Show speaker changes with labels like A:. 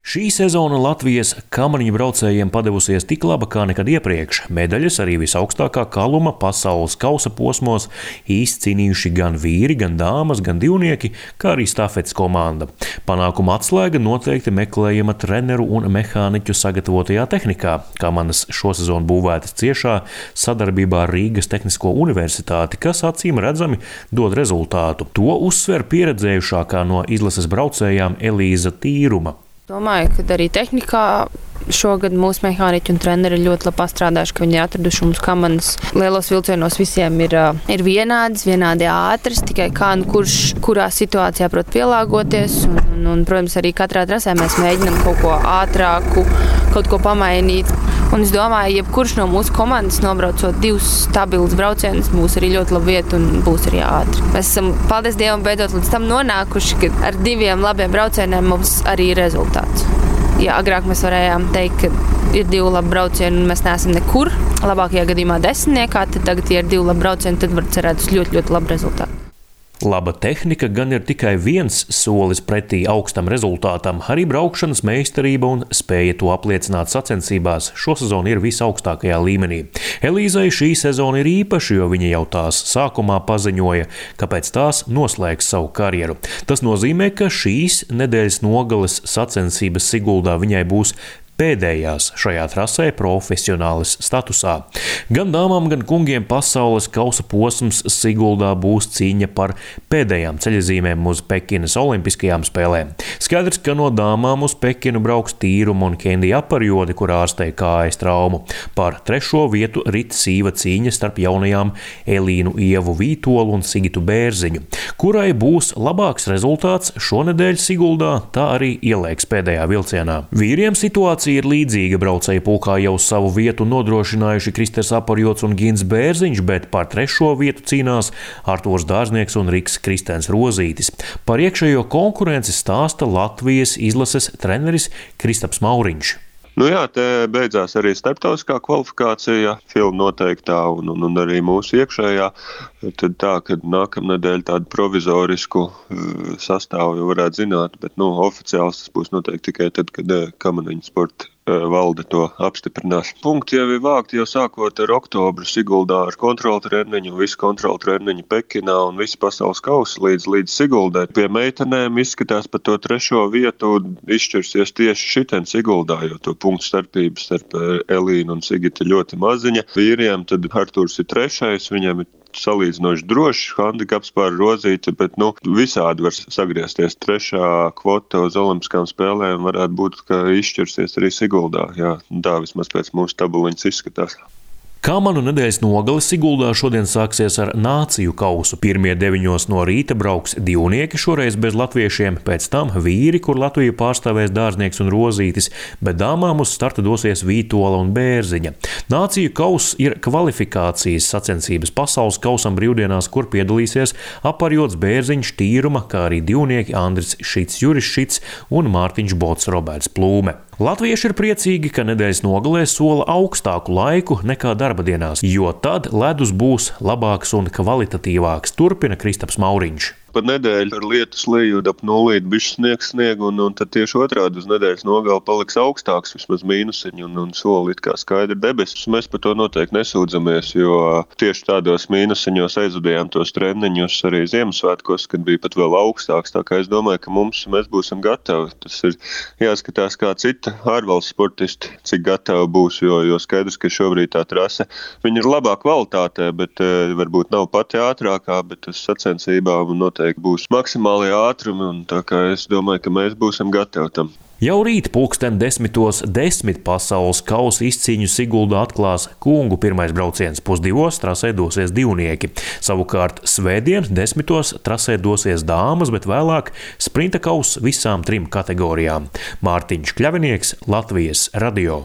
A: Šī sezona Latvijas kamaniņu braucējiem padevusies tik laba kā nekad iepriekš. Medaļas arī visaugstākā kaluma pasaules kausa posmos izcīnījuši gan vīri, gan dāmas, gan divnieki, kā arī stafetes komanda. Panākuma atslēga noteikti meklējama treneru un mehāniķu sagatavotajā tehnikā. Kamanas šosezon būvētas ciešā sadarbībā ar Rīgas Tehnisko universitāti, kas acīm redzami dod rezultātu. To uzsver pieredzējušākā no izlases braucējām Elīza Tīruma.
B: Domāju, ka arī tehnikā šogad mūsu mehāniķi un treneri ir ļoti labi pastrādājuši, ka viņi ir atraduši mums kamanas. Lielos vilcienos visiem ir vienādi ātras, tikai kā kurš kurā situācijā prot pielāgoties. Un, protams, arī katrā trasē mēs mēģinām kaut ko ātrāku, kaut ko pamainīt. Un es domāju, jebkurš no mūsu komandas nobraucot 2 stabilus braucienus, būs arī ļoti laba vieta un būs arī ātri. Mēs esam, paldies Dievam, beidzot līdz tam nonākuši, ka ar 2 labiem braucieniem mums arī ir rezultāts. Ja agrāk mēs varējām teikt, ka ir 2 labi braucieni un mēs neesam nekur, labākajā gadījumā 10, tad tagad, ja ir 2 labi braucieni, tad var cerēt uz ļoti, ļoti labu rezultātu.
A: Laba tehnika gan ir tikai viens solis pretī augstam rezultātam, arī braukšanas meistarība un spēja to apliecināt sacensībās šosezon ir visaugstākajā līmenī. Elīzai šī sezona ir īpaša, jo viņa jau tās sākumā paziņoja, ka pēc tās noslēgs savu karjeru. Tas nozīmē, ka šīs nedēļas nogales sacensības Siguldā viņai būs pēdējās šajā trasē profesionālis statusā. Gan dāmām, gan kungiem pasaules kausa posms Siguldā būs cīņa par pēdējām ceļazīmēm uz Pekinas olimpiskajām spēlēm. Skaidrs, ka no dāmām uz Pekinu brauks Tīruma un Kendija Aparjode, kur ārstē kājas traumu. Par 3. vietu rit sīva cīņa starp jaunajām Elīnu Ievu Vītolu un Sigitu Bērziņu. Kurai būs labāks rezultāts šonedēļ Siguldā, tā arī ielēks pēdējā vilcienā. Vīriem situācija ir līdzīga. Braucēju pulkā jau savu vietu nodrošinājuši Kristers Aparjods un Gins Bērziņš, bet par 3. vietu cīnās Artūrs Dārznieks un Riks Kristens Rozītis. Par iekšējo konkurenci stāsta Latvijas izlases treneris Kristaps Mauriņš.
C: Te beidzās arī starptautiskā kvalifikācija, filma noteiktā un arī mūsu iekšējā. Tad tā, ka nākamnedēļ tādu provizorisku sastāvu jau varētu zināt, bet oficiāls tas būs noteikti tikai tad, kad kamaniņu sporta valde to apstiprinās. Punkti jau ir vākti jau sākot ar oktobru Siguldā ar kontrolu treniņu, visu kontrolu treniņu Pekinā un visu pasaules kausu līdz Siguldai. Pie meitenēm izskatās par to 3. vietu izšķirsies tieši šitien Siguldā, jo to punktu starpības starp Elīnu un Sigitu ļoti maziņa. Vīriem tad Artūrs ir 3, viņam ir salīdzinoši drošs handikaps pār Rozīti, bet visādi var sagriezties. 3. kvota uz olimpiskām spēlēm varētu būt, ka izšķirsies arī Siguldā. Tā vismaz pēc mūsu tabuliņas izskatās.
A: Kamanu nedēļas nogale Siguldā šodien sāksies ar nāciju kausu. Pirmie 9 no rīta brauks divnieki, šoreiz bez latviešiem, pēc tam vīri, kur Latviju pārstāvēs Dārznieks un Rozītis, bet dāmām uz starta dosies Vītola un Bērziņa. Nāciju kauss ir kvalifikācijas sacensības pasaules kausam brīvdienās, kur piedalīsies Aparjods, Bērziņš, Tīruma, kā arī divnieki Andris Šits, Juris Šits un Mārtiņš Bots, Roberts Plūme. Latvieši ir priecīgi, ka nedēļas nogalē sola augstāku laiku nekā darba dienās, jo tad ledus būs labāks un kvalitatīvāks, turpina Kristaps Mauriņš.
C: Par nedēļu ar lietus leju ap 0 bišķi sniegu, un tad tieši otrādi uz nedēļas nogali paliks augstāks, vismaz mīnusiņi, un soli it kā skaidri debesis. Mēs par to noteikti nesūdzamies, jo tieši tādos mīnusiņos aizvadījām tos treniņus arī Ziemassvētkos, kad bija pat vēl augstāks. Tā kā es domāju, ka mēs būsim gatavi. Tas ir jāskatās kā cita ārvalsts sportisti, cik gatavi būs, jo skaidrs, ka šobrīd tā trase, viņa ir labā kvalitātē, bet varbūt nav pati ātrākā, bet tas sacensībā noteikti būs maksimālie ātrumi, un tā kā es domāju, ka mēs būsim gatavi tam.
A: Jau rīt 10:10 pasaules kausa izcīņu Siguldā atklās kungu pirmais brauciens. 1:30 trasē dosies divnieki. Savukārt svētdien 10:00 trasē dosies dāmas, bet vēlāk sprinta kauss visām 3 kategorijām. Mārtiņš Kļavinieks, Latvijas radio.